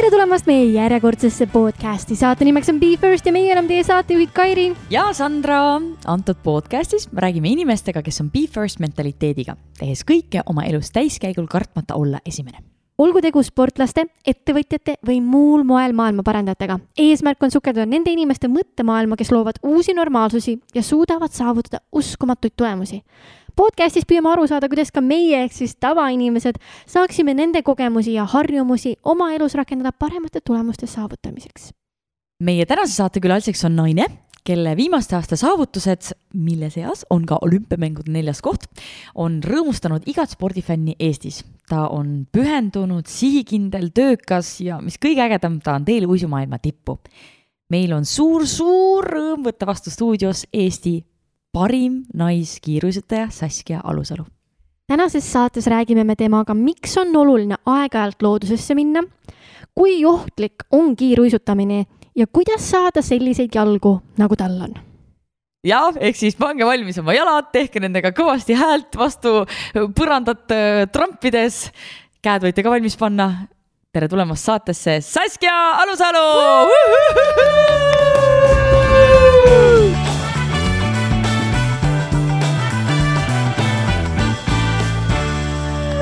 Tere tulemast meie järjekordsesse podcasti. Saate nimeks on Be First ja meie enam teie saatejuhid Kairi ja Sandra. Antud podcastis räägime inimestega, kes on Be First mentaliteediga, tehes kõike oma elus täiskäigul kartmata olla esimene. Olgu tegu sportlaste, ettevõtjate või muul moel maailma parandajatega. Eesmärk on sukelduda nende inimeste mõttemaailma, kes loovad uusi normaalsusi ja suudavad saavutada uskumatuid tulemusi. Podcastis püüame aru saada, kuidas ka meie ehk siis tavainimesed saaksime nende kogemusi ja harjumusi oma elus rakendada paremate tulemuste saavutamiseks. Meie tänase saatekülaliseks on naine, kelle viimaste aasta saavutused, mille seas on ka olümpiamängude 4. koht, on rõõmustanud igat spordifänni Eestis. Ta on pühendunud, sihikindel, töökas ja mis kõige ägedam, ta on teel uisumaailma tippu. Meil on suur rõõm võtta vastu stuudios Eesti parim naiskiiruisutaja Saskia Alusalu. Tänases saates räägime me temaga, miks on oluline aeg-ajalt loodusesse minna, kui ohtlik on kiiruisutamine ja kuidas saada selliseid jalgu, nagu tal on. Ja, ehk siis pange valmis oma jalad, tehke nendega kõvasti häält vastu põrandat trampides. Käed võite ka valmis panna. Tere tulemast saatesse Saskia Alusalu!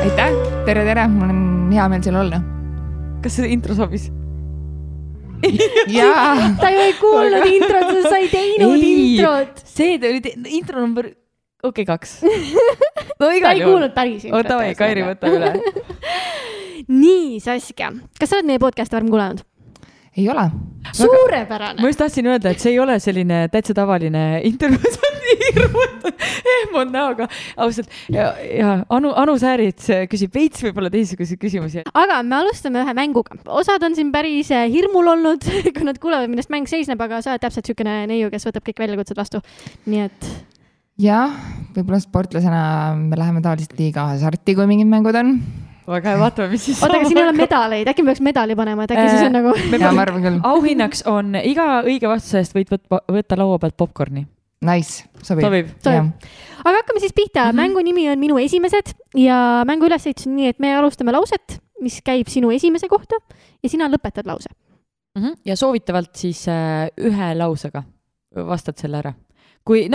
Aitäh, tere, mul on hea meel seal olla. Kas see intro sobis? Jaa. Ta ju ei kuulnud introt, sa ei teinud introt. See oli intro number 2. No, ta ei kuulnud päris introt. Oota, Kairi, võta üle. Nii, Saskia, kas sa oled meie podcasti varem kuulanud? Ei ole. Suurepärane. Ma just tahtsin öelda, et see ei ole selline täitsa tavaline intervjuu, see on nii hirmud näoga. Ausalt, ja Anu Säärit küsib veits võib-olla teisuguse küsimusi. Aga me alustame ühe mänguga. Osad on siin päris hirmul olnud, kui nad kuulevad, millest mäng seisneb, aga sa oled täpselt sükene neiu, kes võtab kõik väljakutsed vastu. Nii et... Jah, võib-olla sportlasena me läheme tavaliselt liiga hasarti, kui mingid mängud on. Väga vaatame, mis siis Oota, aga siin ei ole medaleid, äkki me peaks medali panema, et äkki siis on nagu... Ja, ma arvan küll. Auhinnaks on iga õige vastuse eest võid võtta laua pealt popcorni. Nice, sobib. Aga hakkame siis pihta. Mängu nimi on Minu esimesed ja mängu ülesehitus on nii, et me alustame lauset, mis käib sinu esimese kohta ja sina lõpetad lause. Ja soovitavalt siis ühe lausega vastad selle ära. Kui,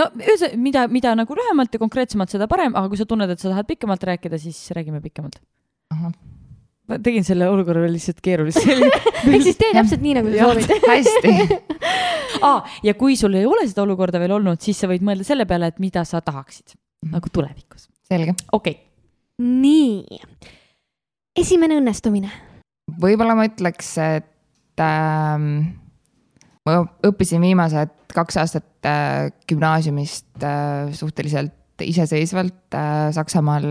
mida nagu lühemalt ja konkreetsemalt seda parem, aga kui sa tunned, et sa tahad pikemalt rääkida, siis räägime pikemalt. Ma tegin selle olukorra lihtsalt keerulist. Ehk siis tee täpselt nii, nagu sa soovid. Hästi. Ja kui sul ei ole seda olukorda veel olnud, siis sa võid mõelda selle peale, et mida sa tahaksid nagu tulevikus. Selge. Okei. Nii. Esimene õnnestumine. Võib-olla ma ütleks, et ma õppisin viimased 2 aastat gümnaasiumist suhteliselt iseseisvalt Saksamaal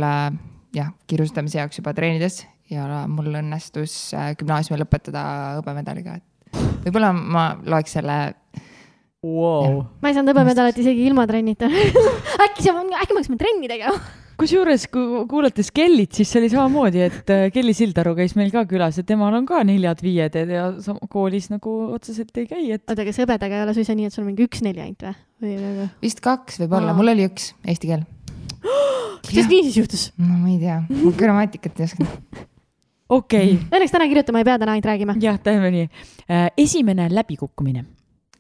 kiirusutamise jaoks juba treenides ja mul õnnestus gümnaasiumi lõpetada hõbemedaliga. Võib-olla ma loeks selle... Wow. Ma ei saanud hõbemedalit isegi ilma trennita. Äkki ma hakkame trenni tegema? Kusjuures, kui kuulates Kellit, siis see oli samamoodi, et Kelly Sildaru käis meil ka külas ja temal on ka 4-5 ja koolis nagu otseselt ei käi. Et... Oota, kas hõbedaga ei ole suisa nii, et sul on mingi 1-4 ainult või? Vist 2 võib-olla, mul oli 1 eesti keel. Kuidas nii siis juhtus? No ma ei tea, ma grammatikat ei oska. Okei. Õnneks täna kirjutama ei pea, täna ainult räägime. Jah, teeme nii. Esimene läbikukkumine.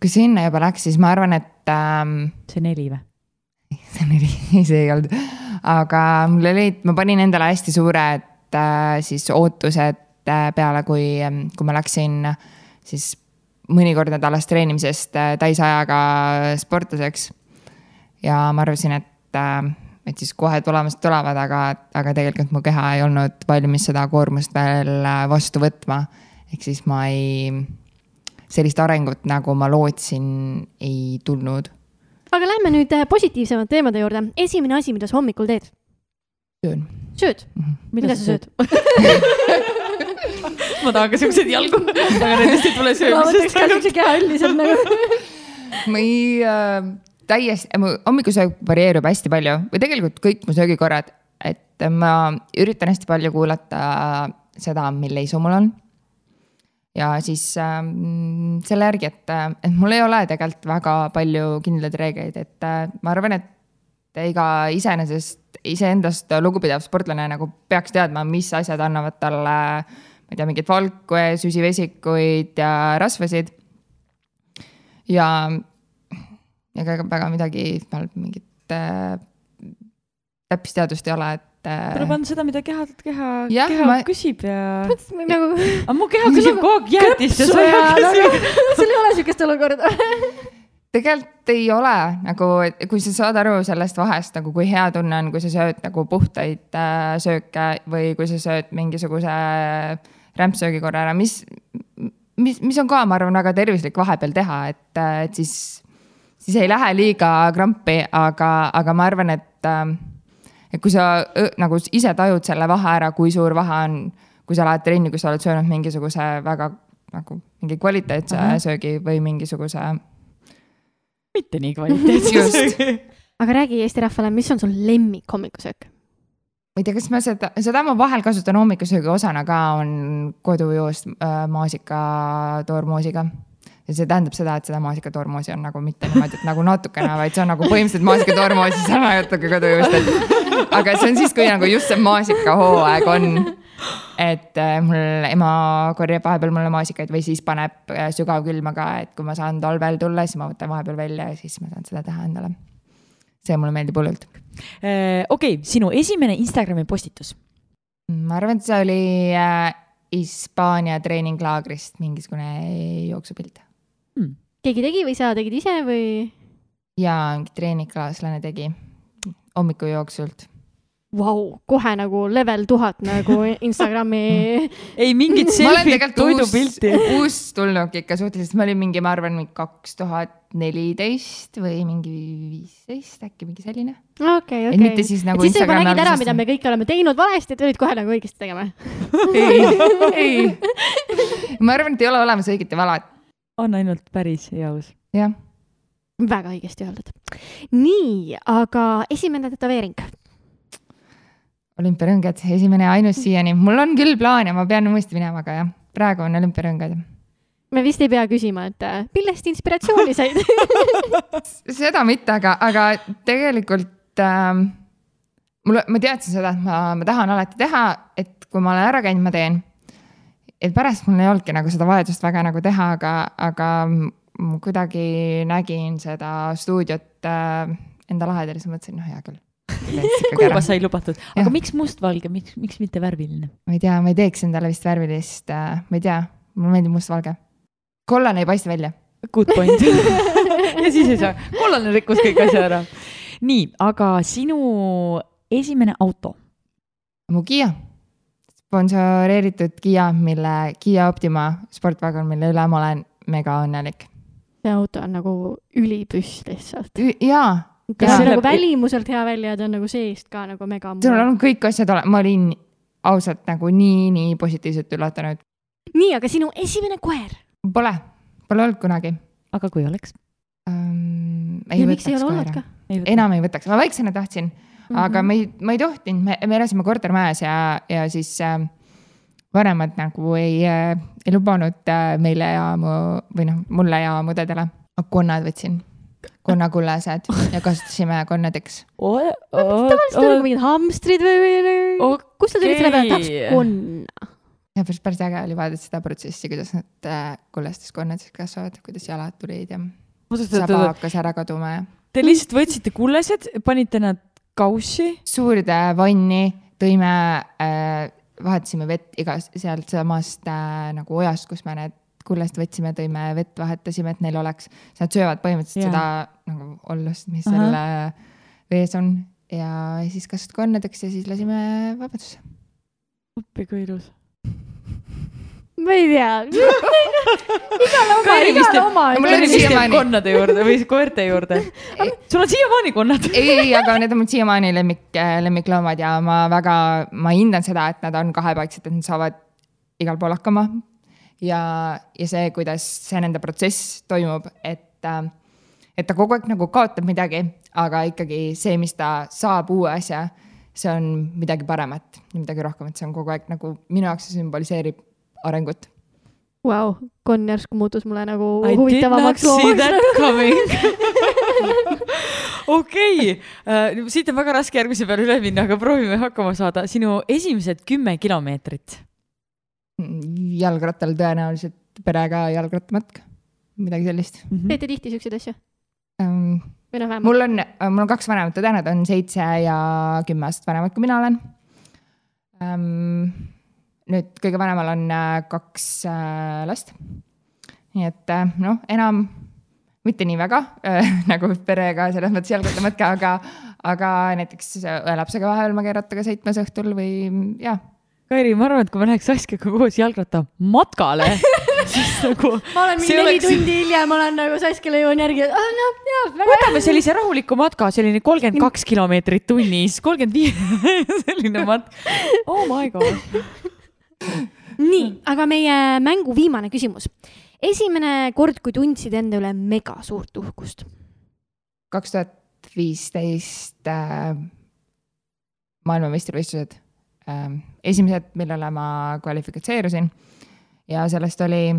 Kui sinna juba läks, siis ma arvan, et... See 4 või? See 4, see ei olnud. Aga mul oli, ma panin endale hästi suured siis ootused peale, kui ma läksin siis mõnikord nädalas treenimisest täisajaga sportlaseks. Ja ma arvasin, et siis kohe tulevad, aga tegelikult mu keha ei olnud valmis seda koormust veel vastu võtma. Ehk siis ma sellist arengut, nagu ma lootsin, ei tulnud. Aga lähme nüüd positiivsemad teemade juurde. Esimene asi, mida sa hommikul teed? Sööd? Mida sa sööd? Ma tahan ka sellised jalgu, aga nendest ei tule söömisest. Ma võtaks ka sellised keha üldiselt nagu. Ma ei hommikusöög varieerub hästi palju või tegelikult kõik mu söögikorrad, et ma üritan hästi palju kuulata seda, mille isu mul on. Ja siis selle järgi, et mul ei ole tegelikult väga palju kindlaid reegleid, et ma arvan, et iga iseendast lugupidav sportlane nagu peaks teadma, mis asjad annavad talle ma ei tea, mingit valku ja süsivesikuid ja rasvasid. Ja ega väga midagi, mingit täppisteadust ei ole, et tuleb anda seda, mida keha küsib ja... Nagu... Aga mu keha küsib kogu aeg jäätist ja sa sul ei ole sükest olukorda. Tegelikult ei ole, nagu, kui sa saad aru sellest vahest, nagu kui hea tunne on, kui sa sööd nagu puhtaid sööke või kui sa sööd mingisuguse rämpsöögi korra ära, mis on ka, ma arvan, väga tervislik vahepeal teha, et siis ei lähe liiga krampi, aga ma arvan, et kui sa nagu ise tajud selle vahe ära, kui suur vahe on, kui sa lähed trenni, kui sa oled söönud mingisuguse väga nagu mingi kvaliteetse söögi või mingisuguse mitte nii kvaliteetse. Aga räägi Eesti rahvale, mis on sul lemmik hommikusöök? Ma ei tea, kas ma seda ma vahel kasutan hommikusöögi osana ka, on kodujoost maasika toormoosiga. Ja see tähendab seda, et seda maasika toormoosi on nagu mitte niimoodi, et nagu natukene, vaid see on nagu põhimõtteliselt maasika toormoosi, see on natuke kodujoost. Aga see on siis, kui nagu just see maasika hooaeg on, et mul ema korjab vahepeal mulle maasikaid või siis paneb sügavkülma ka, et kui ma saan talvel tulla, siis ma võtan vahepeal välja ja siis ma saan seda teha endale. See mulle meeldib hullult. Okei, sinu esimene Instagrami postitus? Ma arvan, et see oli Hispaania treeninglaagrist mingisugune jooksupilt. Keegi tegi või sa tegid ise või? Jaa, mingi treeningklaaslane tegi hommiku jooksult. Vau, kohe nagu level 1000 nagu Instagrami. Ei mingit selfie toidupilti. Uus tulnuk ikka suhteliselt. Ma olin mingi, ma arvan, 2014 või mingi 15, äkki mingi selline. Okei. Et mitte siis nagu siis Instagrami nägid ära, mida me kõik oleme teinud valesti, et olid kohe nagu õigesti tegema. Ei. Ma arvan, et ei ole olemas õigeti valat. On ainult päris jaus. Jah. Väga õigesti öeldud. Nii, aga esimene tätoveering. Olümpiarõngad, esimene ja ainus siiani. Mul on küll plaan ja ma pean uuesti minema, aga jah, praegu on olümpiarõngad. Me vist ei pea küsima, et millest inspiratsiooni said? Seda mitte, aga tegelikult ma teadsin seda, et ma tahan alati teha, et kui ma olen ära käinud, ma teen. Et pärast mul ei olnudki nagu seda vajadust väga nagu teha, aga kuidagi nägin seda stuudiot enda lahedel ja siis mõtlesin, hea küll. Kui juba sai lubatud. Aga miks mustvalge? Miks mitte värviline? Ma ei tea, ma ei teeks endale vist värvilist. Ma ei tea, mulle meeldib mustvalge. Kollane ei paista välja. Good point. Ja siis ei saa. Kollane rikkus kõik asja ära. Nii, aga sinu esimene auto? Mu Kia. Sponsoreeritud Kia, mille Kia Optima sportvagon, mille üle ma olen mega õnnelik. See auto on nagu ülipüss lihtsalt. Jaa. Kas see nagu välimuselt hea välja, ta on nagu seest ka nagu mega muu. See on kõik asjad, ma olin ausalt nagu nii positiivselt üllatanud. Nii, aga sinu esimene koer? Pole olnud kunagi. Aga kui oleks? Ei võtaks koera. Enam ei võtaks. Ma väiksena tahtsin, aga ma ei tohtinud. Me elasime kortermajas ja siis vanemad nagu ei lubanud meile ja mulle ja mudedele. Konnad võtsin. Konnakullased ja kasutasime konnadeks. Tavaliselt on nagu mingid hamstrid või kus sa tulid selle peale, tahaks konna? Ja päris äge oli vaadata seda protsessi, kuidas nad kullastes konnadeks kasvavad, kuidas jalad tulid ja saba hakkas ära kaduma. Te lihtsalt võtsite kullased, panite nad kaussi? Suurde vanni tõime, vahetasime vett sealt samast nagu ojast, kus me need kullast võtsime, tõime vett, vahetasime, et neil oleks, nad söövad põhimõtteliselt seda nagu ollust, mis selle vees on ja siis kasvati konnadeks ja siis lasime vabadusse. Oppi kui ilus. Ma ei tea. Igal oma. Mul on siiamaani konnade juurde või koerte juurde. Sul on siiamaani konnad? Ei, aga need on mul siiamaani lemmikloomad ja ma hindan seda, et nad on kahepaiksed, et nad saavad igal pool hakkama. Ja see, kuidas see nende protsess toimub, et ta kogu aeg nagu kaotab midagi, aga ikkagi see, mis ta saab uue asja, see on midagi paremat, midagi rohkem, et see on kogu aeg nagu minu jaoks sümboliseerib arengut. Wow, Conn järsku muutus mulle nagu huvitavamaks loomaks. I did not see that coming. Okei, siit on väga raske järgmise peale üle minna, aga proovime hakkama saada. Sinu esimesed 10 kilomeetrit. jalgrattal tõenäoliselt perega jalgrattamatk, midagi sellist. Teete tihti siukseid asju? Või noh, mul on 2 vanemat õde, nad on 7 ja 10 aastat vanemad, kui mina olen. Nüüd kõige vanemal on 2 last. Nii et enam mitte nii väga nagu perega selles mõttes jalgrattamatka, aga näiteks lapsega vahel ma keerataga sõitmas õhtul või jah. Kairi, ma arvan, et kui ma läheks Saskiaga koos jalgratta matkale, siis nagu... Ma olen mingi 4 tundi hiljem, ma olen nagu Saskile jõuan järgi, võtame sellise rahuliku matka, selline 32 kilomeetrit tunnis, 35 selline matk. Oh my god. Nii, aga meie mängu viimane küsimus. Esimene kord, kui tundsid enda üle mega suurt uhkust? 2015 maailmameistrivõistlused. Esimesed, millele ma kvalifikatseerusin ja sellest oli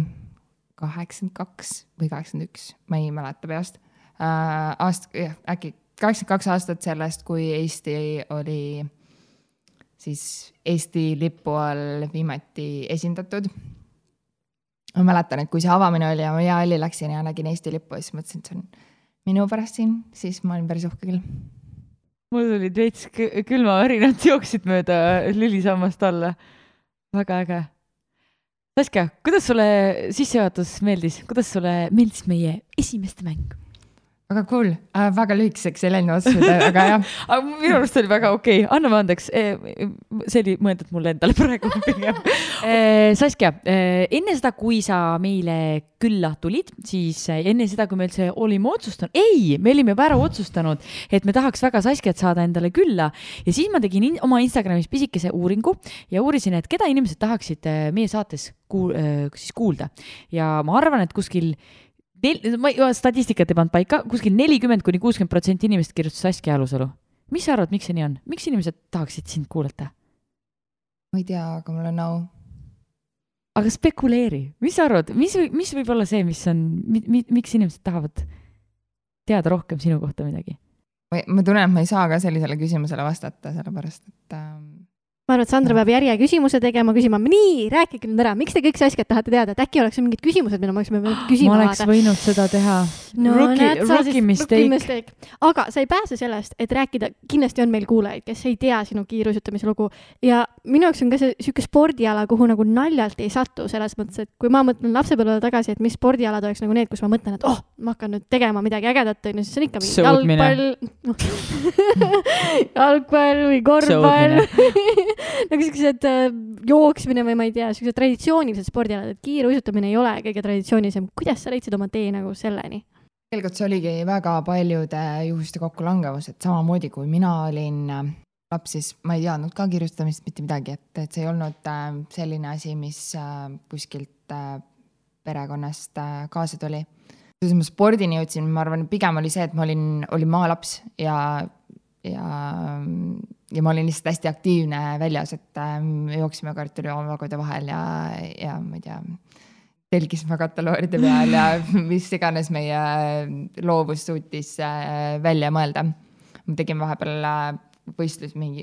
82 või 81, ma ei mäleta peast. Äkki 82 aastat sellest, kui Eesti oli siis Eesti lipu all viimati esindatud. Ma mäletan, et kui see avamine oli ja ma hea halli läksin ja nägin Eesti lippu, siis mõtlesin, et see on minu pärast siin, siis ma olin päris uhke küll. Mul olid veits külmavärinad jooksid mööda lülisammast alla. Väga äge. Saskia, kuidas sulle sissejuhatus meeldis? Kuidas sulle meeldis meie esimeste mäng? Väga cool, väga lühikeseks ei läinud otsustada, aga jah. Minu arust oli väga okei. Anname andeks, see oli mõeldud mulle endale praegu pigem. Saskia, enne seda, kui sa meile külla tulid, siis enne seda, kui me üldse olime otsustanud, me olime juba ära otsustanud, et me tahaks väga Saskiat saada endale külla ja siis ma tegin oma Instagramis pisikese uuringu ja uurisin, et keda inimesed tahaksid meie saates kuulda ja ma arvan, et kuskil statistikat ei pannud paika, kuskil 40–60% inimest kirjutas Saskia Alusalu. Mis sa arvad, miks see nii on? Miks inimesed tahaksid sind kuulata? Ma ei tea, aga mul on nõu. Aga spekuleeri. Mis sa arvad? Mis võib olla see, miks inimesed tahavad teada rohkem sinu kohta midagi? Ma tunnen, et ma ei saa ka sellisele küsimusele vastata, sellepärast, et... Ma arvan, et Sandra peab järje küsimuse tegema, küsima, nii, rääkige nüüd ära, miks te kõik Saskiat tahate teada, et äkki oleks mingid küsimused, mida ma küsima ma oleks võinud seda teha. No, rookie mistake. Aga sa ei pääse sellest, et rääkida, kindlasti on meil kuulajaid, kes ei tea sinu kiiruisutamise lugu ja minu jaoks on ka see siuke spordiala, kuhu nagu naljalt ei satu selles mõttes, et kui ma mõtlen lapsepõlvele tagasi, et mis spordialad oleks nagu need, kus ma mõtlen, et ma hakkan nüüd tegema midagi ägedat, siis on ikka jalgpall või korvpall nagu sellised jooksmine või ma ei tea, sellised traditsioonilised spordialad, et kiiruisutamine ei ole kõige traditsioonilisem. Kuidas sa leidsid oma tee nagu selleni? Tegelikult see oligi väga paljude juhuste kokkulangevus, et samamoodi kui mina olin laps, siis ma ei teadnud ka kiirutamist mitte midagi, et see ei olnud selline asi, mis kuskilt perekonnast kaasa tuli. Kui ma spordini jõudsin, ma arvan, pigem oli see, et ma olin maalaps ja ma olin lihtsalt hästi aktiivne väljas, et jooksime kartulivagude vahel ja ma ei tea, telgisime katalooride peal ja mis iganes meie loovus suutis välja mõelda. Me tegime vahepeal võistlus, mingi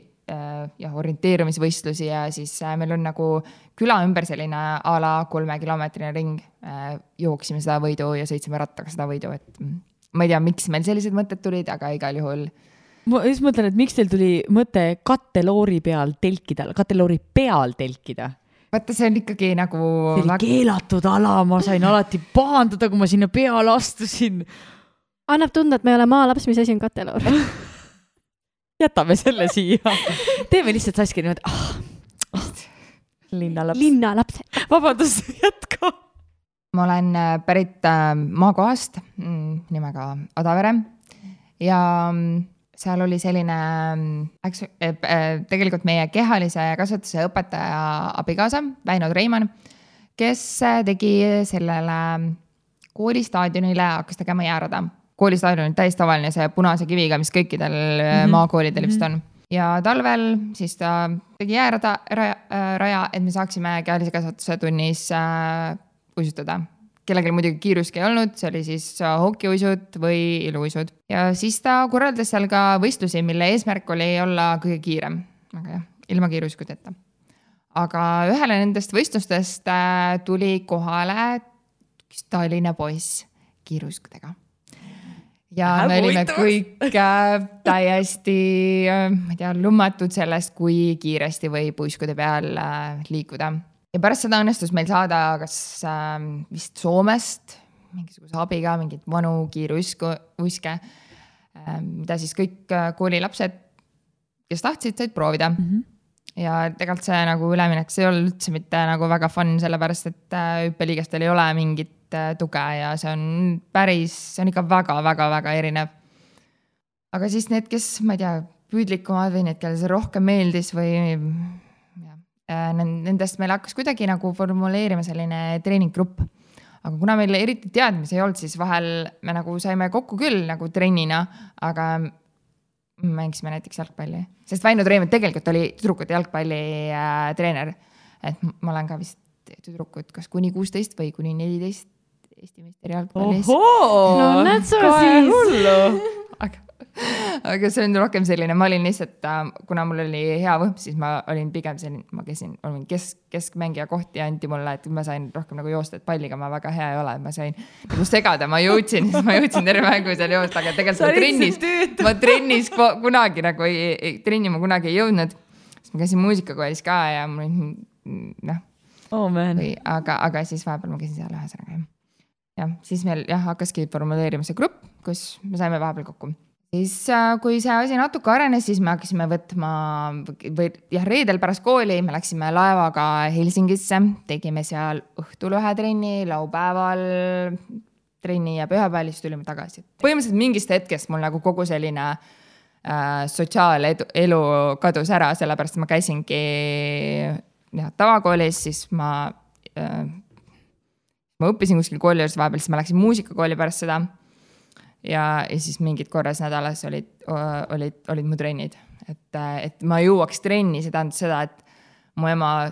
orienteerumisvõistlusi ja siis meil on nagu küla ümber selline a la 3-kilomeetrine ring. Jooksime seda võidu ja sõitsime rattaga seda võidu, et ma ei tea, miks meil sellised mõtted tulid, aga igal juhul ma just mõtlen, et miks teil tuli mõte katteloori peal telkida? Vaata, see on ikkagi nagu... See oli keelatud ala, ma sain alati pahandada, kui ma sinna peale astusin. Annab tunda, et me ei ole maalaps, mis asi on katteloor. Jätame selle siia. Teeme lihtsalt Saskia niimoodi. Linnalaps. Vabandust, jätka. Ma olen pärit maakohast nimega Odavere ja... seal oli selline, tegelikult meie kehalise kasvatuse õpetaja abikaasa, Väino Treimann, kes tegi sellele koolistaadionile, hakkas tegema jäärada. Koolistaadion on täiesti tavaline, see punase kiviga, mis kõikidel maakoolidel vist on. Ja talvel siis ta tegi jäärada raja, et me saaksime kehalise kasvatuse tunnis uisutada. Kellegil muidugi kiiruski ei olnud, see oli siis hokiuisud või iluuisud. Ja siis ta korraldas seal ka võistlusi, mille eesmärk oli olla kõige kiirem. Aga jah, ilma kiiruiskuteta. aga ühele nendest võistlustest tuli kohale üks Tallinna poiss kiiruiskudega. Ja me olime kõik täiesti, ma ei tea, lummatud sellest, kui kiiresti võib uiskude peal liikuda. Ja pärast seda õnnestus meil saada kas vist Soomest mingisuguse abiga, mingid vanu kiiruiske, mida siis kõik koolilapsed, kes tahtsid, said proovida. Ja tegelikult see nagu üleminek, see ei ole üldse mitte nagu väga fun, sellepärast, et hüppeliigestel ei ole mingit tuge ja see on ikka väga erinev. Aga siis need, kes, ma ei tea, püüdlikumad või need, kelle see rohkem meeldis või nendest meil hakkas kuidagi nagu formuleerima selline treeninggrupp. Aga kuna meil eriti teadmisi ei olnud, siis vahel me nagu saime kokku küll nagu trennina, aga mängisime näiteks jalgpalli. Sest Väino Treemit tegelikult oli tüdrukute jalgpalli treener. Et ma olen ka vist tüdrukud kas kuni 16 või kuni 14 Eesti meister jalgpallis. No näed sa siis. Aga see on rohkem selline, ma olin lihtsalt, kuna mul oli hea võhm, siis ma olin pigem selline, ma olin keskmängija kohti ja anti mulle, et ma sain rohkem nagu joosta, et palliga ma väga hea ei ole, ma sain nagu segada, ma jõudsin terve mängu seal joosta, aga tegelikult ma trennis kunagi nagu trenni ma kunagi ei jõudnud, sest ma käisin muusikakoolis ka ja aga siis vahepeal ma käisin seal ühesõnaga. Ja siis meil hakkaski formuleerima see grupp, kus me saime vahepeal kokku. Siis kui see asi natuke arenes, siis me hakkasime võtma reedel pärast kooli, me läksime laevaga Helsingisse, tegime seal õhtul ühe trenni, laupäeval trenni ja pühapäeval siis tulime tagasi. Põhimõtteliselt mingist hetkest mul nagu kogu selline sotsiaalelu kadus ära, sellepärast ma käisingi tavakoolis, siis ma õppisin kuskil kooli juures vahepeal, siis ma läksin muusikakooli pärast seda. Ja siis mingid korras nädalas olid mu trennid. Et ma jõuaks trenni, see tähendab seda, et mu ema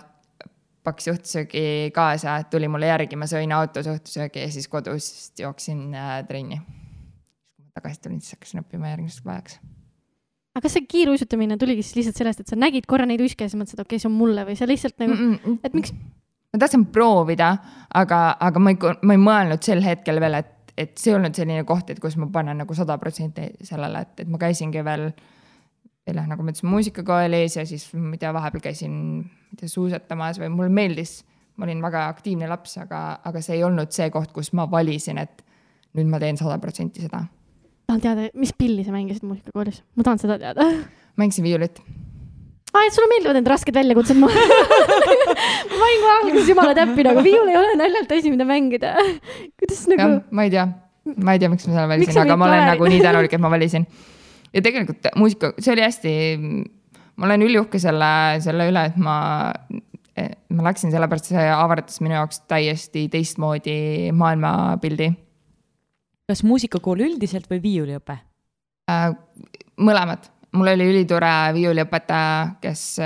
paksis õhtusöögi kaasa, tuli mulle järgi, ma sõin autos õhtusöögi ja siis kodus jooksin trenni. Kui ma tagasi tulin, siis hakkasin õppima järgmiseks päevaks. Aga kas see kiiruisutamine tuligi siis lihtsalt sellest, et sa nägid korra neid uiske ja sa mõtlesid, okei, see on mulle või see lihtsalt nagu, et miks? Ma tahtsin proovida, aga ma ei mõelnud sel hetkel veel, et see olnud selline koht, et kus ma panen nagu 100% sellele, et ma käisingi veel nagu ma ütlesin muusikakoolis ja siis vahepeal käisin suusatamas või mulle meeldis, ma olin väga aktiivne laps, aga see ei olnud see koht, kus ma valisin, et nüüd ma teen 100% seda. Tahan teada, mis pilli sa mängisid muusikakoolis? Ma tahan seda teada. Mängisin viiulit. Et sulle meeldivad need rasked väljakutsed ma olin kohe alguses jumala täppi, aga viiul ei ole naljalt asi, mida mängida. Kuidas nagu... Ja, ma ei tea, miks ma selle valisin, aga ma olen nagu nii tänulik, et ma valisin. Ja tegelikult muusika, see oli hästi, ma olen üliuhke selle üle, et ma läksin sellepärast, see avaratas minu jaoks täiesti teistmoodi maailmapildi. Kas muusikakool üldiselt või viiuliõpe? Mõlemad. Mul oli ülitore viiuliõpetaja, kes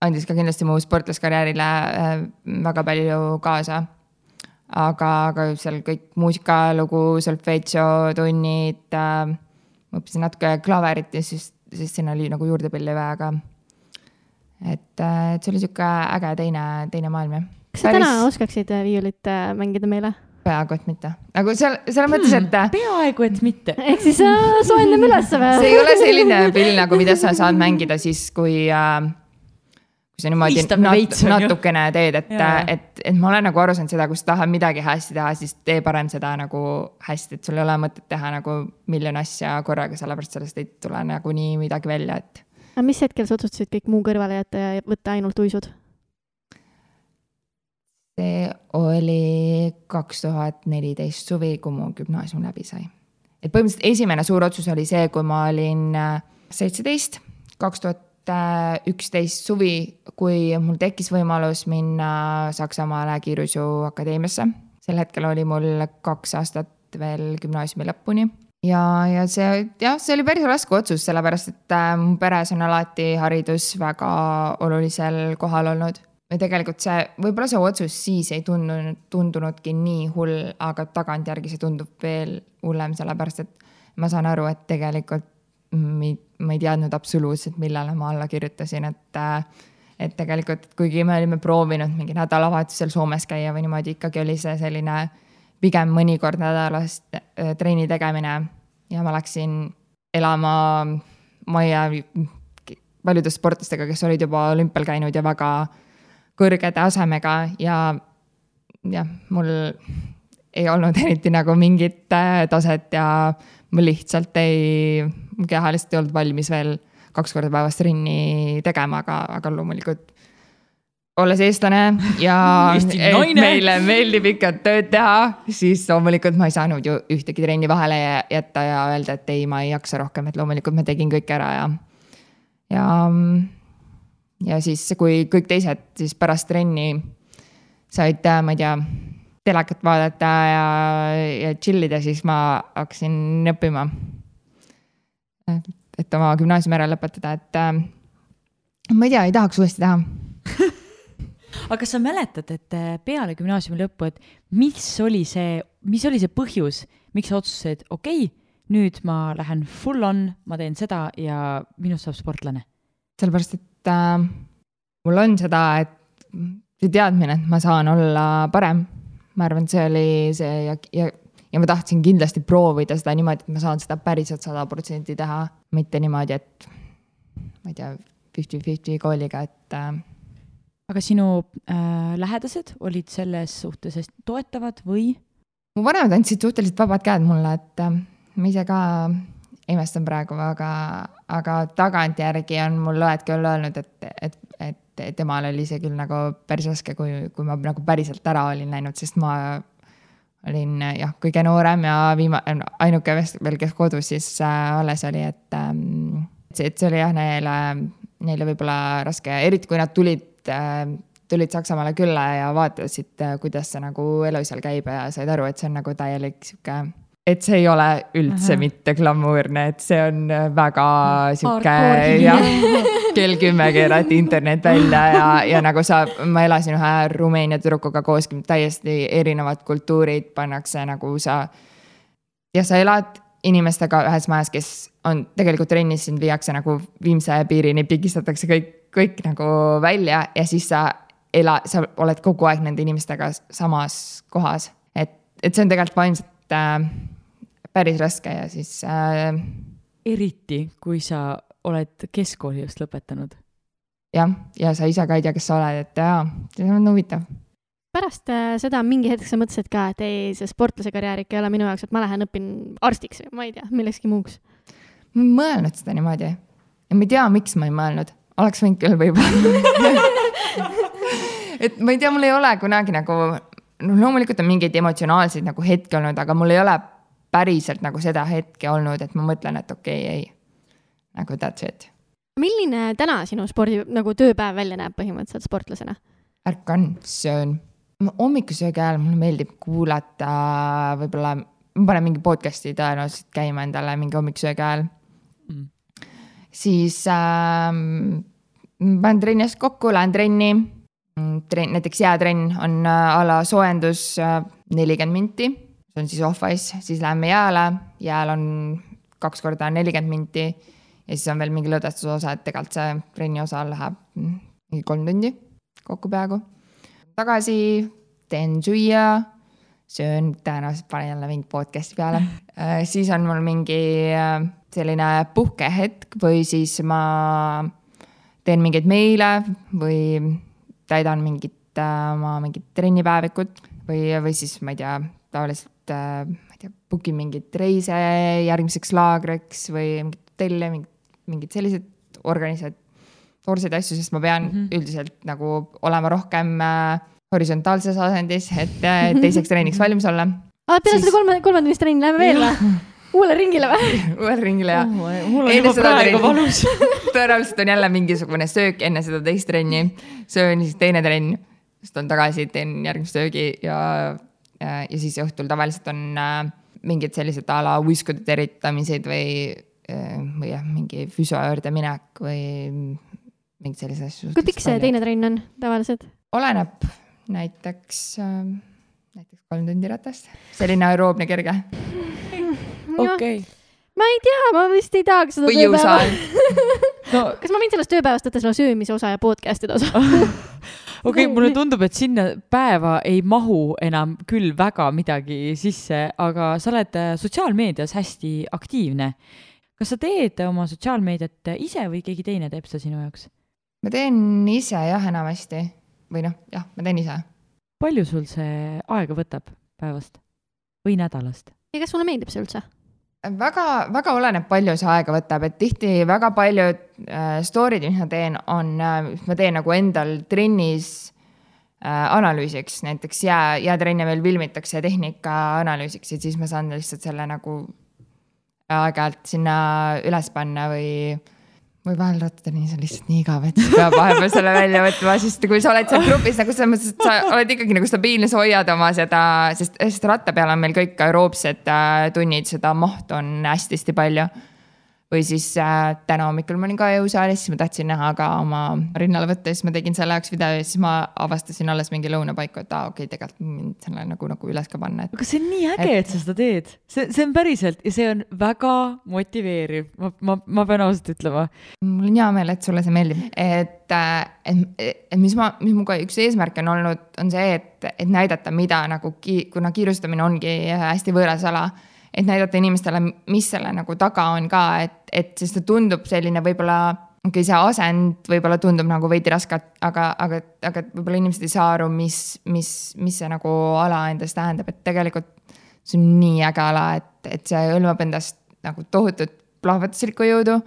andis ka kindlasti mu sportlaskarjäärile väga palju kaasa. Aga seal kõik muusikalugu, solfeggio, tunnid, ma õppisin natuke klaverit ja siis sinna oli nagu juurdepilli väga. Et see oli siuke äge teine maailm. Ja. Kas sa täna oskaksid viiulit mängida meile? Peaaegu, et mitte. Nagu selle mõttes, et... Peaaegu, et mitte. Ehk siis soendame üles või? See ei ole selline pill, nagu mida sa saad mängida siis, kui sa niimoodi natukene teed, et ma olen nagu aru saanud seda, kus tahad midagi hästi teha, siis tee parem seda nagu hästi, et sul ei ole mõtet teha nagu miljon asja korraga, sellepärast sellest ei tule nagu nii midagi välja, et... Aga mis hetkel sa otsustasid kõik muu kõrvale jätta ja võtta ainult uisud? See oli 2014 suvi, kui mu gümnaasium läbi sai. Et põhimõtteliselt esimene suur otsus oli see, kui ma olin 17, 2011 suvi, kui mul tekkis võimalus minna Saksamaale kiiruisu akadeemiasse. Sel hetkel oli mul 2 aastat veel gümnaasiumi lõpuni. Ja see oli päris raske otsus, sellepärast, et mu peres on alati haridus väga olulisel kohal olnud. Ja tegelikult võib-olla see otsus siis ei tundunudki nii hull, aga tagantjärgi see tundub veel hullem, sellepärast, et ma saan aru, et tegelikult ma ei teadnud absoluutselt, millele ma alla kirjutasin, et tegelikult, kuigi me olime proovinud mingi nädalavahetusel Soomes käia või niimoodi, ikkagi oli see selline pigem mõnikord nädalas trenni tegemine ja ma läksin elama majja paljude sportlastega, kes olid juba olümpial käinud ja väga kõrge tasemega ja mul ei olnud eriti nagu mingit taset ja mul lihtsalt mu keha lihtsalt ei olnud valmis veel 2 korda päevas trenni tegema, aga loomulikult olles eestlane ja meile meeldib ikka tööd teha, siis loomulikult ma ei saanud ju ühtegi trenni vahele jätta ja öelda, et ei, ma ei jaksa rohkem, et loomulikult ma tegin kõik ära ja siis, kui kõik teised siis pärast trenni said, ma ei tea, telekat vaadata ja chillida, siis ma hakkasin õppima, et oma gümnaasiumi ära lõpetada, et ma ei tea, ei tahaks uuesti teha. Aga kas sa mäletad, et peale gümnaasiumi lõppu, et mis oli see põhjus, miks sa otsustasid, okei, nüüd ma lähen full on, ma teen seda ja minust saab sportlane? Sellepärast, et mul on seda, et see teadmine, et ma saan olla parem. Ma arvan, see oli see ja ma tahtsin kindlasti proovida seda niimoodi, et ma saan seda päriselt 100% teha, mitte niimoodi, et ma ei tea, 50-50 kooliga, et Aga sinu lähedased olid selles suhtes toetavad või? Mu vanemad andsid suhteliselt vabad käed mulle, et ma ise ka imestan praegu, aga tagantjärgi on mul õed küll öelnud, et temal oli see küll nagu päris raske, kui ma nagu päriselt ära olin läinud, sest ma olin kõige noorem ja ainuke veel, kes kodus siis alles oli, et see oli neile võib-olla raske, eriti kui nad tulid Saksamaale külla ja vaatasid, kuidas see nagu elu seal käib ja said aru, et see on nagu täielik siuke, et see ei ole üldse mitte glamuurne, et see on väga siuke kell 10 keerati internet välja ja nagu ma elasin ühe Rumeenia tüdrukuga koos, täiesti erinevad kultuurid pannakse nagu sa elad inimestega ühes majas, kes on tegelikult trennis, sind viiakse nagu viimse piirini, pigistatakse kõik nagu välja ja siis sa oled kogu aeg nende inimestega samas kohas. Et see on tegelikult vaimselt päris raske ja siis eriti, kui sa oled keskkooli just lõpetanud. Ja sa ise ka ei tea, kes sa oled, et see on huvitav. Pärast seda mingi hetk sa mõtlesid ka, et ei, see sportlase karjäär ikka ei ole minu jaoks, et ma lähen õpin arstiks või ma ei tea, millekski muuks. Ma ei mõelnud seda niimoodi ja ma ei tea, miks ma ei mõelnud. Oleks võinud küll võib-olla. Et ma ei tea, mul ei ole kunagi nagu, loomulikult on mingeid emotsionaalseid nagu hetki olnud, aga mul ei ole päriselt nagu seda hetke olnud, et ma mõtlen, et okei, ei, nagu that's it. Milline täna sinu spordi nagu tööpäev välja näeb põhimõtteliselt sportlasena? Ärkan, söön. Hommikusöögi ajal mulle meeldib kuulata, võib-olla ma panen mingi podcasti tõenäoliselt käima endale mingi hommikusöögi ajal. Siis panen trenniast kokku, lähen trenni. Näiteks jäätrenn on ala soojendus 40 minti. See on siis off-ice, siis läheme jääle. Jääl on 2 korda 40 minti ja siis on veel mingi lõdvestuse osa, et tegelikult see trenni osa läheb mingi 3 tundi kokku peaaegu. Tagasi teen süüa, söön, tõenäoliselt panen jälle mingi podcasti peale. Siis on mul mingi selline puhkehetk või siis ma teen mingeid meile või täidan mingit trennipäevikut või siis ma ei tea, tavaliselt bookin mingit reise järgmiseks laagriks või mingit hotelle, mingid sellised organisatoorseid asju, sest ma pean üldiselt nagu olema rohkem horisontaalses asendis, et teiseks treeniks valmis olla. Peale seda kolmandamist trenni läheme veel või? Uuele ringile või? Uuele ringile, jah. Mul on juba praegu valus. Tõenäoliselt on jälle mingisugune söök enne seda teist trenni. Söön siis teine trenn, sest on tagasi, teen järgmist söögi ja siis õhtul tavaliselt on mingid sellised ala uiskude teritamised või mingi füsio juurde minek või mingid sellised asju. Kui pikk see teine trenn on tavaliselt? Oleneb näiteks 3 tundi ratast. Selline aeroobne kerge. Okay. Ma ei tea, ma vist ei tahaks seda või jõusaal. Kas ma võin sellest tööpäevast võtta selle söömise osa ja podcast'ide osa? Okei, mulle tundub, et sinna päeva ei mahu enam küll väga midagi sisse, aga sa oled sotsiaalmeedias hästi aktiivne. Kas sa teed oma sotsiaalmeediat ise või keegi teine teeb seda sinu jaoks? Ma teen ise jah enamasti. Või jah, ma teen ise. Palju sul see aega võtab päevast või nädalast? Ja kas sulle meeldib see üldse? Väga oleneb palju see aega võtab, et tihti väga paljud story'd, mis ma teen, ma teen nagu endal trennis analüüsiks, näiteks jäätrenne veel filmitakse tehnika analüüsiks, et siis ma saan lihtsalt selle nagu aeg-ajalt sinna üles panna või vahel rattadeni, see on lihtsalt nii igav, et sa peab vahepeal selle välja võtma, sest kui sa oled seal grupis, nagu sa oled ikkagi nagu stabiilne, sa hoiad oma seda, sest ratta peal on meil kõik aeroobsed tunnid, seda mahtu on hästi palju. Või siis täna hommikul ma olin ka jõusaalis, siis ma tahtsin näha ka oma rinnale võtta, siis ma tegin selle jaoks video ja siis ma avastasin alles mingi lõunapaiku, et okei, tegelikult mind selle nagu üles ka panna. Aga see on nii äge, et sa seda teed. See on päriselt ja see on väga motiveeriv. Ma pean ausalt ütlema. Mul on hea meel, et sulle see meeldib. Et mis muga üks eesmärk on olnud, on see, et näidata, mida nagu, kuna kiirustamine ongi hästi võõras ala, et näidata inimestele, mis selle nagu taga on ka, et sest see tundub selline võib-olla, see asend võib-olla tundub nagu veidi rasket, aga võib-olla inimesed ei saa aru, mis see nagu ala endast tähendab, et tegelikult see on nii äge ala, et see hõlmab endast nagu tohutut plahvatuslikku jõudu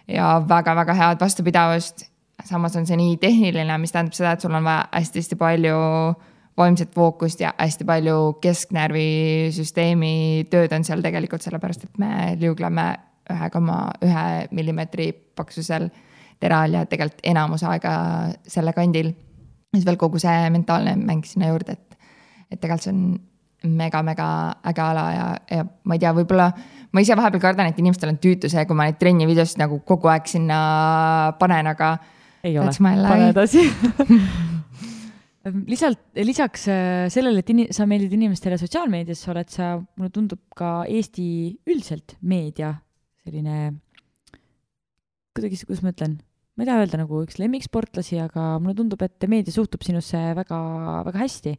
ja väga-väga head vastupidavust. Samas on see nii tehniline, mis tähendab seda, et sul on vaja hästi palju vaimset fookust ja hästi palju kesknärvisüsteemi tööd on seal tegelikult sellepärast, et me liugleme 1,1 millimeetri paksusel teral ja tegelikult enamus aega selle kandil. Siis veel kogu see mentaalne mäng sinna juurde, et tegelikult see on mega äge ala ja ma ei tea, võib-olla ma ise vahepeal kardan, et inimestel on tüütu see, kui ma neid trenni videost nagu kogu aeg sinna panen, aga ei ole, pane edasi. Lisaks sellele, et sa meeldid inimestele sotsiaalmeedias, oled sa, mulle tundub ka Eesti üldiselt meedia selline, kuidas ma ütlen, ma ei taha öelda nagu üks lemmiksportlasi, aga mulle tundub, et meedia suhtub sinusse väga, väga hästi.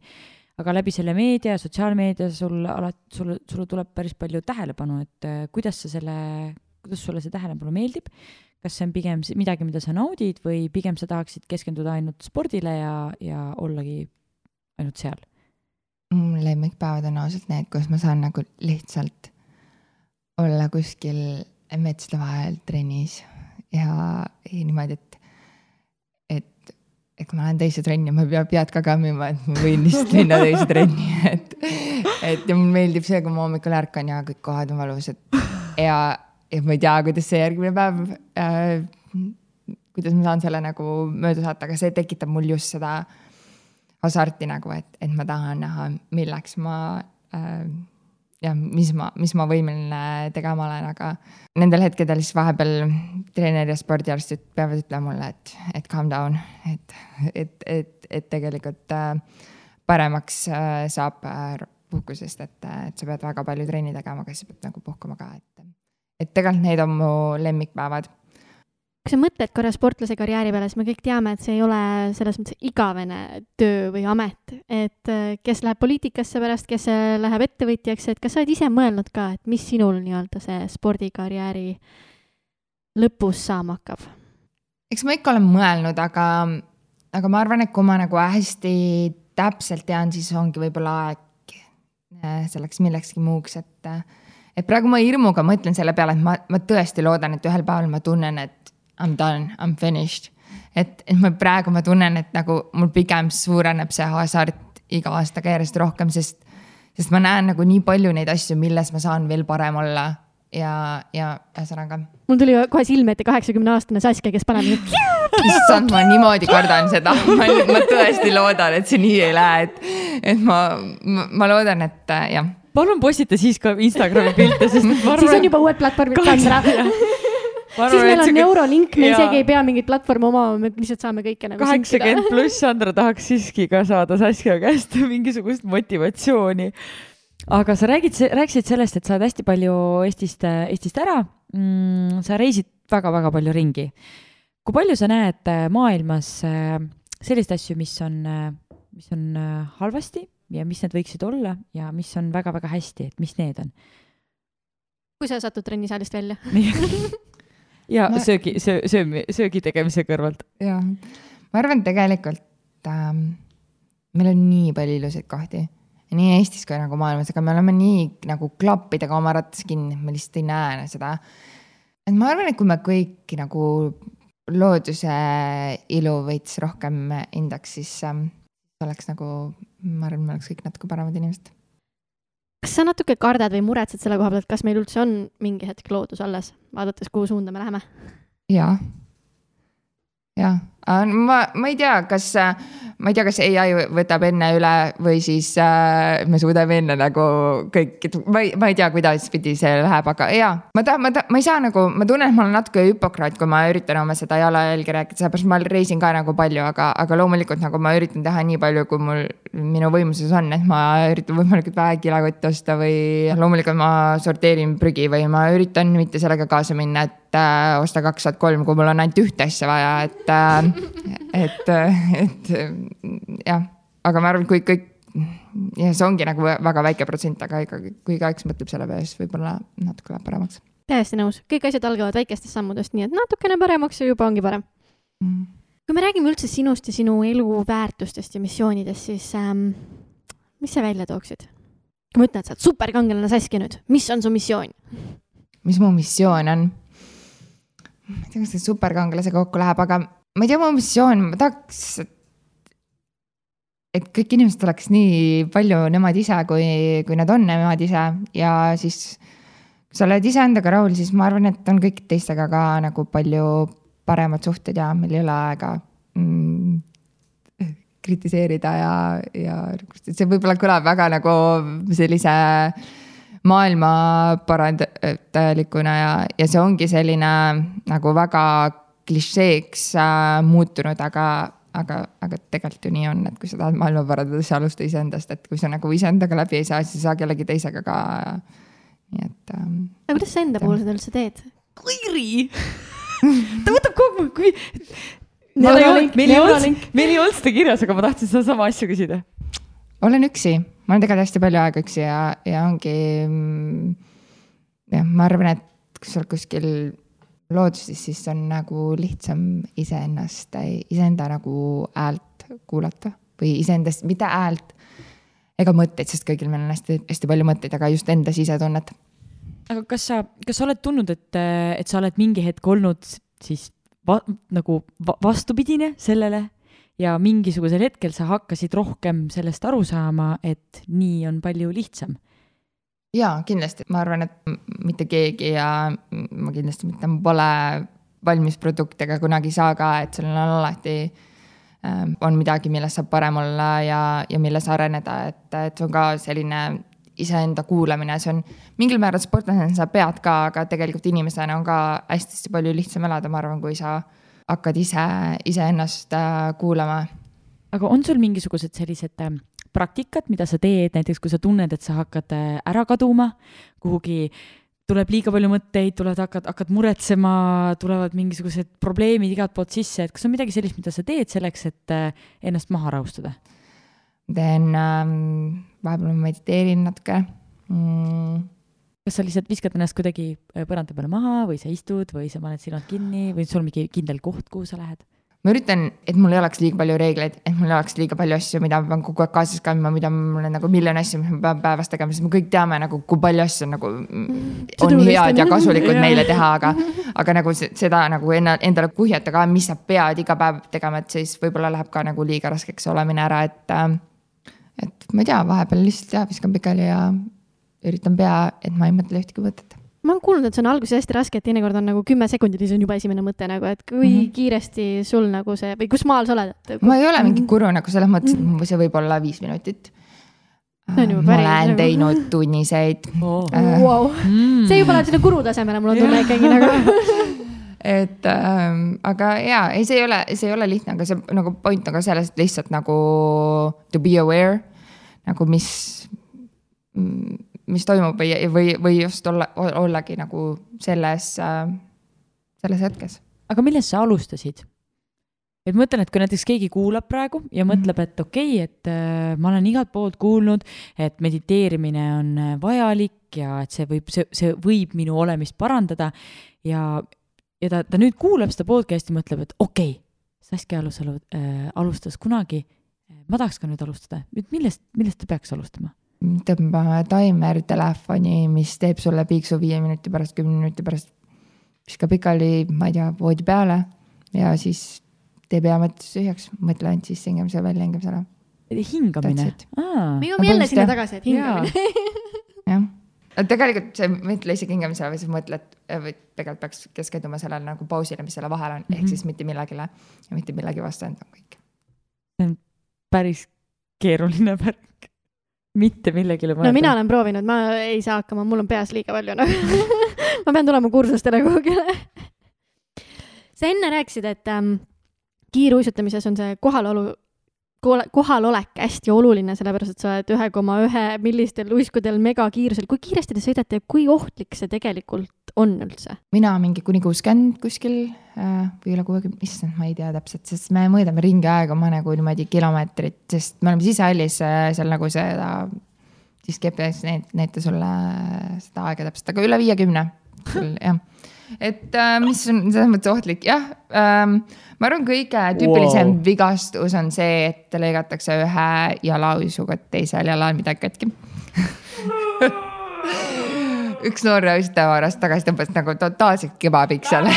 Aga läbi selle meedia, sotsiaalmeedia sulle tuleb päris palju tähelepanu, et kuidas sulle see tähelepanu meeldib? Kas see on pigem midagi, mida sa naudid või pigem sa tahaksid keskenduda ainult spordile ja ollagi ainult seal? Lemmikpäevad on ausalt need, kus ma saan nagu lihtsalt olla kuskil metsade vahel trennis ja niimoodi, et kui ma lähen teise trenni, ma pead ka kammima, et ma võin lihtsalt minna teise trenni. Et ja mul meeldib see, kui ma hommikul ärkan ja kõik kohad on valusad ja ma ei tea, kuidas see järgmine päev, kuidas ma saan selle nagu mööda saata, aga see tekitab mul just seda hasarti nagu, et ma tahan näha, milleks ma mis ma võimeline tegema olen, aga nendel hetkedel siis vahepeal treener ja spordiarstid peavad ütlema mulle, et calm down, et tegelikult paremaks saab puhkusest, et sa pead väga palju trenni tegema, aga sa pead nagu puhkuma ka, et tegelikult need on mu lemmikpäevad. Kui sa mõtled korra sportlase karjääri peale, siis me kõik teame, et see ei ole selles mõttes igavene töö või amet, et kes läheb poliitikasse pärast, kes läheb ettevõtjaks, et kas sa oled ise mõelnud ka, et mis sinul nii-öelda see spordikarjääri lõpus saama hakkab? Eks ma ikka olen mõelnud, aga ma arvan, et kui ma nagu hästi täpselt tean, siis ongi võib-olla aeg selleks millekski muuks, et praegu ma hirmuga mõtlen selle peale, et ma tõesti loodan, et ühel päeval ma tunnen, et I'm done, I'm finished. Et praegu ma tunnen, et nagu mul pigem suureneb see hasart iga aastaga järjest rohkem, sest ma näen nagu nii palju neid asju, milles ma saan veel parem olla ja ühesõnaga. Mul tuli kohe silme ette 80-aastane Saskia, kes paneb issand, ma niimoodi kardan seda. Ma tõesti loodan, et see nii ei lähe, et ma loodan, et jah. Palun postita siis ka Instagrami pilte, sest siis on juba uued platvormid Sandra. Siis meil on Neurolink, me isegi ei pea mingit platvormi oma, me lihtsalt saame kõike nagu 80 plus Sandra tahaks siiski ka saada Saskia käest mingisugust motivatsiooni. Aga sa rääkisid sellest, et sa oled hästi palju Eestist ära. Sa reisid väga-väga palju ringi. kui palju sa näed maailmas sellist asju, mis on halvasti ja mis need võiksid olla ja mis on väga-väga hästi, et mis need on? Kui sa satud trennisaalist välja. ja söögi tegemise kõrvalt. Jah, ma arvan tegelikult meil on nii palju ilusaid kohti. Nii Eestis kui nagu maailmas, aga me oleme nii nagu klappidega oma rattas kinni, me lihtsalt ei näe seda. Et ma arvan, et kui me kõik nagu looduse ilu võits rohkem hindaks, siis oleks nagu, ma arvan, me oleks kõik natuke paremad inimesed. Kas sa natuke kardad või muretsed selle koha pealt, kas meil üldse on mingi hetk loodus alles, vaadates, kuhu suunda me läheme? Jaa. Ma ei tea, kas AI võtab enne üle või siis me suudame enne nagu kõik, ma ei tea, kuidas pidi see läheb, aga jaa, ma ei saa nagu, ma tunnen, et ma olen natuke hüpokraat, kui ma üritan oma seda jalajälgi rääkida, sellepärast ma reisin ka nagu palju, aga loomulikult nagu ma üritan teha nii palju, kui minu võimuses on, et ma üritan võimalikult vähe kilekotti osta või loomulikult ma sorteerin prügi või ma üritan mitte sellega kaasa minna, et osta 2 3, kui mul on ainult ühte asja vaja, et jah, aga ma arvan, kui kõik, ja see ongi nagu väga väike protsent, aga kui igaüks mõtleb selle peale, siis võib-olla natuke läheb paremaks. Täiesti nõus, kõik asjad algavad väikestest sammudest, nii et natukene paremaks ja juba ongi parem. Kui me räägime üldse sinust ja sinu elu väärtustest ja missioonidest, siis mis sa välja tooksid? Kui ma ütlen, et sa oled superkangelane Saskia nüüd, mis on su missioon? Mis mu missioon on? Ma ei tea, kas see superkangelasega kokku läheb, aga ma ei tea, mu missioon, ma tahaks, et kõik inimesed oleks nii palju nemad ise, kui nad on nemad ise ja siis, kui sa oled ise endaga rahul, siis ma arvan, et on kõik teistega ka nagu palju paremad suhted ja meil ei ole aega kritiseerida ja see võib-olla kõlab väga nagu sellise maailma parandajalikuna ja see ongi selline nagu väga klišeeks muutunud, aga tegelikult ju nii on, et kui sa tahad maailma parandada, siis alusta iseendast, et kui sa nagu iseendaga läbi ei saa, siis ei saa kellegi teisega ka. Nii et, aga kuidas sa enda puhul seda üldse teed? Kõiri! Ta võtab kogu kui... Meil ei olnud seda kirjas, aga ma tahtsin seda sama asja küsida. Olen üksi. Ma olen tegelikult hästi palju aega üksi ja ongi, ma arvan, et kui sa oled kuskil looduses, siis on nagu lihtsam iseenda nagu häält kuulata või iseendast, mitte häält ega mõtteid, sest kõigil meil on hästi palju mõtteid, aga just enda sisetunnet. Aga kas sa oled tundnud, et sa oled mingi hetk olnud siis nagu vastupidine sellele? Ja mingisugusel hetkel sa hakkasid rohkem sellest aru saama, et nii on palju lihtsam. Jaa, kindlasti. Ma arvan, et mitte keegi ja ma kindlasti mitte pole valmis produktega kunagi saa ka, et sellel on alati on midagi, milles saab parem olla ja milles areneda, et see on ka selline iseenda kuulamine, see on mingil määral sportlasena sa pead ka, aga tegelikult inimesena on ka hästi palju lihtsam elada, ma arvan, kui sa hakkad ise ennast kuulama. Aga on sul mingisugused sellised praktikad, mida sa teed, näiteks kui sa tunned, et sa hakkad ära kaduma, kuhugi tuleb liiga palju mõtteid, hakkad muretsema, tulevad mingisugused probleemid igalt poolt sisse, et kas on midagi sellist, mida sa teed selleks, et ennast maha rahustada? Teen, vahepeal ma mediteerin natuke. Kas sa lihtsalt viskad ennast kuidagi põranda peale maha või sa istud või sa paned silmad kinni või sul on mingi kindel koht, kuhu sa lähed? Ma üritan, et mul ei oleks liiga palju reegleid, et mul ei oleks liiga palju asju, mida ma pean kogu aeg kaasas kandma, mida mul on nagu miljon asju, mis ma pean päevas tegema, sest me kõik teame, nagu, kui palju asju nagu, on head ja kasulikud meile teha, aga nagu seda nagu endale kuhjata ka, mis sa pead iga päev tegema, et siis võib-olla läheb ka nagu liiga raskeks olemine ära, et ma ei tea, vahepeal lihtsalt viskan pikali ja üritan pea, et ma ei mõtle ühtegi võtet. Ma olen kuulnud, et see on alguses hästi raske, et teinekord on nagu 10 sekundit ja see on juba esimene mõte, nagu, et kui kiiresti sul nagu see, või kus maal sa oled? Ma ei ole mingi kuru nagu selles mõttes, et see võib olla 5 minutit. Ma olen teinud tunniseid. Wow. See juba läheb sinna kuru tasemele, mul on tunne ikkagi nagu. Et, aga jaa, see ei ole lihtne, aga see nagu point on ka sellest lihtsalt nagu to be aware, nagu mis toimub või just ollagi nagu selles hetkes. aga millest sa alustasid? Et mõtlen, et kui näiteks keegi kuulab praegu ja mõtleb, et okei, et ma olen igalt poolt kuulnud, et mediteerimine on vajalik ja et see võib minu olemist parandada ja ta nüüd kuulab seda podcasti ja mõtleb, et okei, Saskia alustas kunagi, ma tahaks ka nüüd alustada. Millest ta peaks alustama? Tõmbame timer telefoni, mis teeb sulle piiksu 5 minuti pärast, 10 minuti pärast, viska pikali, ma ei tea, voodi peale ja siis teeb hea mõttes üheks, mõtle ainult siis hingamise välja, hingamise ära. Hingamine? Me jõuame jälle sinna tagasi, et hingamine. jah. Tegelikult see mõtle isegi hingamisele või sa mõtled, või tegelikult peaks keskenduma sellele nagu pausile, mis selle vahel on, ehk siis mitte millegile ja mitte millegi vastu enda kõik. See on päris keeruline värk. Mitte millegile mõelda. No mina olen proovinud, ma ei saa hakkama, mul on peas liiga palju. Ma pean tulema kursustele kuhugile. Sa enne rääkisid, et kiiruisutamises on see kohalolek hästi oluline, sellepärast, et sa oled 1,1 millistel uiskudel megakiirusel. Kui kiiresti te sõidate ja kui ohtlik see tegelikult on üldse? Mina mingi kuni 60 kuskil või üle 60, issand, ma ei tea täpselt, sest me mõõdame ringi aega oma nagu niimoodi kilomeetrit, sest me oleme sisehallis seal nagu seda, siis GPS näita sulle seda aega täpselt, aga üle 50 küll, jah. Et mis on selles mõttes ohtlik, jah. Ma arvan, kõige tüüpilisem vigastus on see, et lõigatakse ühe jalauisuga teisel jalal midagi katki. Üks noor uistaja varast tagasi tõmbas nagu totaalselt kebabiks seal.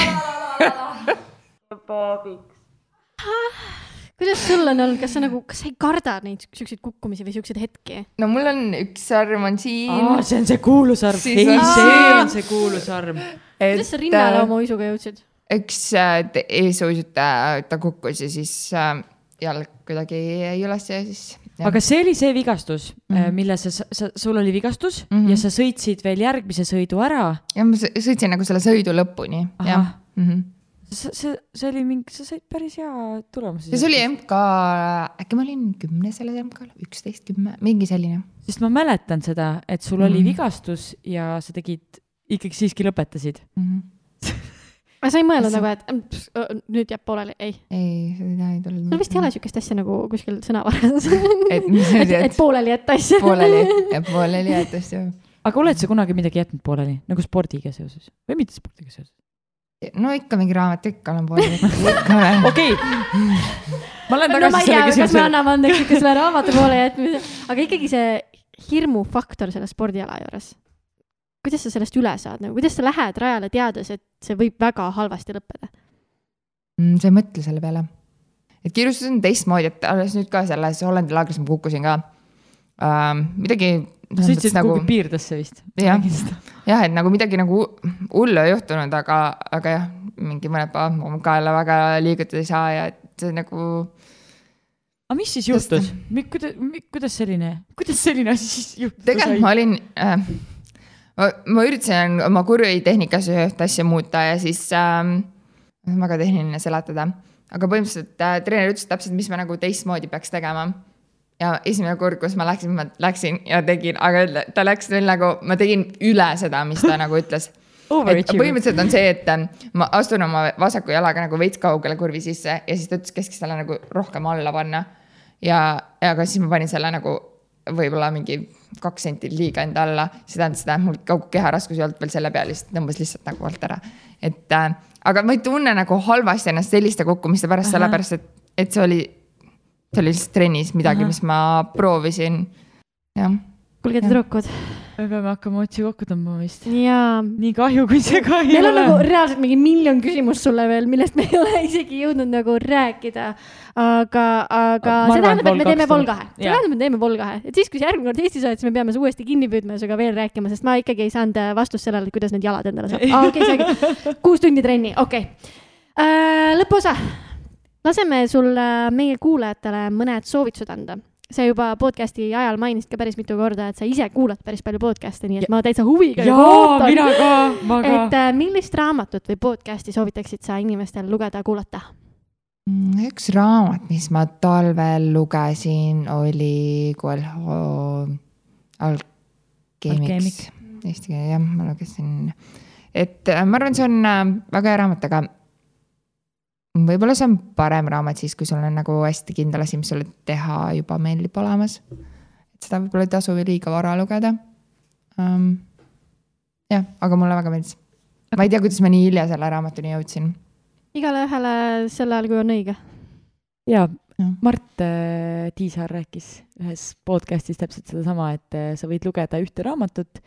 Kuidas sul on olnud, kas sa ei karda neid selliseid kukkumisi või selliseid hetki? No mul on üks arm on siin. See on see kuulusarm. Ei, see on see kuulusarm. Kuidas sa rinnale oma uisuga jõudsid? Üks eesuisutaja, ta kukkus ja siis jalg kuidagi üles ja siis... Ja. Aga see oli see vigastus, mille sul oli vigastus ja sa sõitsid veel järgmise sõidu ära. Ja ma sõitsin nagu selle sõidu lõpuni. See oli mingi, sa said päris hea tulemusi. See oli MK, äkki ma olin 10 selle MK, 11, 10, mingi selline. Sest ma mäletan seda, et sul oli vigastus ja sa tegid, ikkagi siiski lõpetasid. Ma sa ei mõelnud nagu, et nüüd jääb pooleli, ei. Ei, seda ei tulnud. Sul vist ei ole sükest asja nagu kuskil sõnavarades. Et pooleli jätta asja. Pooleli jätta asja. Aga oled sa kunagi midagi jätnud pooleli, nagu spordiga seoses? Või mitte spordiga seoses? No ikka mingi raamat, ikka olen pooleli. Okei. Ma olen tagasi selle küsimuse. Kas me anname andeks ikka selle raamatu poole jätmise? Aga ikkagi see hirmufaktor selle spordiala juures. Kuidas sa sellest üle saad? Kuidas sa lähed rajale teades, et see võib väga halvasti lõppeda? Sa ei mõtle selle peale. Et kiirustus on teistmoodi, et alles nüüd ka selles Hollandi laagris ma kukkusin ka. Midagi... Sõitsid nagu piirdesse vist. Jah, et nagu midagi nagu hullu ei juhtunud, aga jah, mingi mõned päevad ka jälle väga liigutada ei saa ja et see nagu... Aga mis siis juhtus? Kuidas selline asi siis juhtus? Tegelikult ma olin... Ma üritasin oma kurvitehnikas üht asja muuta ja siis väga tehniline seletada. Aga põhimõtteliselt treener ütles täpselt, mis ma nagu teistmoodi peaks tegema. Ja esimene kord, kus ma läksin ja tegin, aga ta läks veel nagu, ma tegin üle seda, mis ta nagu ütles. Põhimõtteliselt on see, et ma astun oma vasaku jalaga nagu veits kaugele kurvi sisse ja siis ta ütles keskis selle nagu rohkem alla panna. Ja aga siis ma panin selle nagu võib-olla mingi 2 senti liiga enda alla. See tähendab seda, et mul kogu keha raskus ei olnud veel selle peal, lihtsalt tõmbas lihtsalt nagu alt ära. Aga ma ei tunne nagu halvasti ennast selliste kukkumiste pärast, sellepärast, et see oli lihtsalt trennis midagi, mis ma proovisin. Ja. Kuulge tüdrukud. Me peame hakkama otsi kokku tõmbama vist. Jaa. Nii kahju, kui see ka ei ole. Meil on nagu reaalselt mingi 1 000 000 küsimust sulle veel, millest me ei ole isegi jõudnud nagu rääkida. Aga see tähendab, et me teeme Volgahe. See tähendab, et me teeme Volgahe. Et siis, kui see järgmine kord Eestis oled, siis me peame uuesti kinni püüdma ja suga veel rääkima, sest ma ikkagi ei saanud vastust sellele, kuidas need jalad endale saab. Okay, 6 tundi trenni, okei. Lõpuosa. Laseme sul meie kuulajatele mõned soovitused anda. Sa juba podcasti ajal mainisid ka päris mitu korda, et sa ise kuulad päris palju podcasti, nii et ma täitsa huviga ootan. Mina ka. Et millist raamatut või podcasti soovitaksid sa inimestel lugeda, kuulata? Üks raamat, mis ma talvel lugesin, oli Alkeemiks. Eesti keele, jah, ma lugesin. Et ma arvan, see on väga hea raamat, aga võib-olla see on parem raamat siis, kui sul on nagu hästi kindel asi, mis sulle teha juba meeldib olemas. Et seda võib-olla ei tasu liiga vara lugeda. Jah, aga mulle väga meeldis. Ma ei tea, kuidas ma nii hilja selle raamatuni jõudsin. Igale ühele sel ajal, kui on õige. Ja Mart Tiisar rääkis ühes podcastis täpselt seda sama, et sa võid lugeda ühte raamatut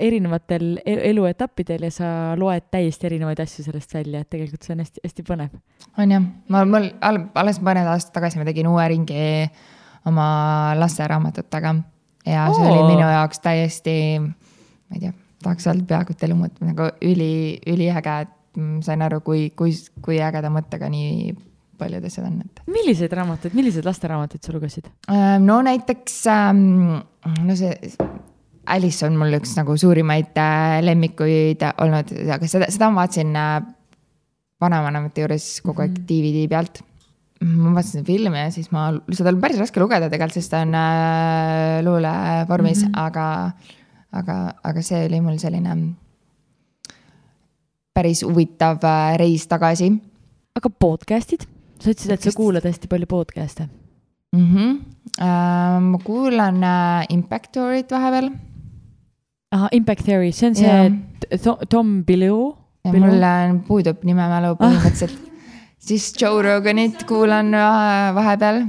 erinevatel eluetappidel ja sa loed täiesti erinevaid asju sellest välja, et tegelikult see on hästi, hästi põnev. On jah, mul alles mõned aastad tagasi ma tegin uue ringi oma lasteraamatutega ja see oli minu jaoks täiesti, ma ei tea, tahaks öelda peaaegu elu mõtte, nagu üliäge, et sain aru, kui ägeda mõttega nii paljud asjad on. Millised lasteraamatuid sa lugesid? No näiteks, see Alice on mul üks nagu suurimaid lemmikuid olnud, aga seda ma vaatasin vanavanemate juures kogu aeg DVD pealt. Ma vaatasin filmi ja siis seda on päris raske lugeda tegelikult, sest ta on luule vormis, aga see oli mul selline päris huvitav reis tagasi. Aga podcastid? Sa ütlesid, et sa kuulad hästi palju podcast'e. Ma kuulan Impact Theory't vahepeal. Aha, Impact Theory, see on see Tom Bilyeu. Mul puudub nimemälu põhimõtteliselt. Siis Joe Roganit kuulan vahepeal.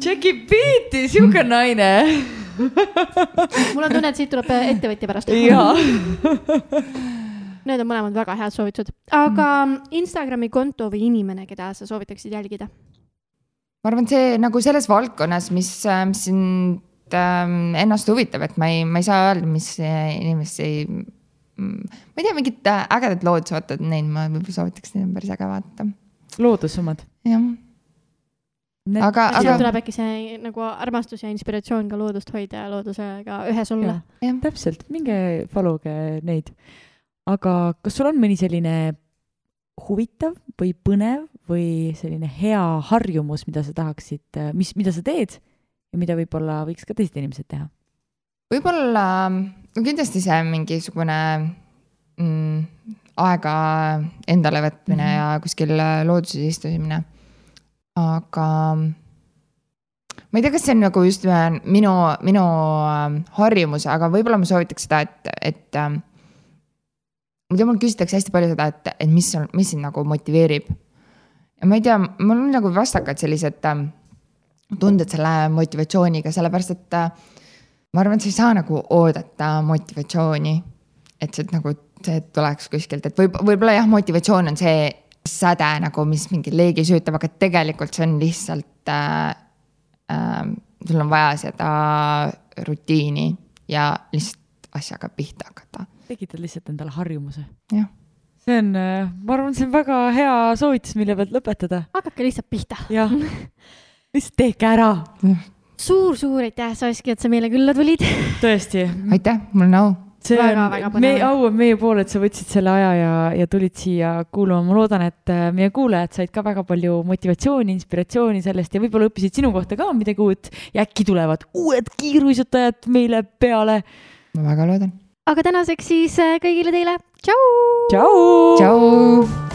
Jackie Beati, siuke naine. Mul on tunne, et siit tuleb ettevõtja pärast. Jaa. Need on mõlemad väga head soovitused. Aga Instagrami konto või inimene, keda sa soovitaksid jälgida? Ma arvan, see nagu selles valdkonnas, mis sind ennast huvitab, et ma ei saa öelda, mis inimesi, ma ei tea, mingid ägedad lood vaatad neid, ma võib-olla soovitaks neid päris äge vaata. Loodussummad. Jah. Aga tuleb äkki see nagu armastus ja inspiratsioon ka loodust hoida ja loodusega ühes olla. Ja, täpselt, minge followge neid. Aga kas sul on mõni selline huvitav või põnev või selline hea harjumus, mida sa tahaksid, mida sa teed ja mida võib-olla võiks ka teised inimesed teha? Võib-olla kindlasti see mingisugune aega endale võtmine ja kuskil looduses istumine. Aga ma ei tea, kas see on nagu just minu harjumus, aga võib-olla ma soovitaks seda, et mul küsitakse hästi palju seda, et mis sind nagu motiveerib. Ja ma ei tea, mul on nagu vastakad sellised tunded selle motivatsiooniga, sellepärast, et ma arvan, et sa ei saa nagu oodata motivatsiooni, et see nagu see tuleks kuskilt, et võib-olla jah, motivatsioon on see säde nagu, mis mingi leegi süütab, aga tegelikult see on lihtsalt sul on vaja seda rutiini ja lihtsalt asjaga pihta hakata. Tekitad lihtsalt endale harjumuse. Jah. See on, ma arvan, see on väga hea soovitus, mille pealt lõpetada. Hakake lihtsalt pihta. Jah, lihtsalt tehke ära. Suur aitäh, Saski, et sa meile külla tulid. Tõesti. Aitäh, mul on au. See on au on meie pool, et sa võtsid selle aja ja tulid siia kuulama. Ma loodan, et meie kuulajad said ka väga palju motivatsiooni, inspiratsiooni sellest ja võib-olla õppisid sinu kohta ka midagi uut ja äkki tulevad uued kiiruisutajad meile peale. Ma väga loodan. Aga tänaseks siis kõigile teile. Tšau! Tšau! Tšau!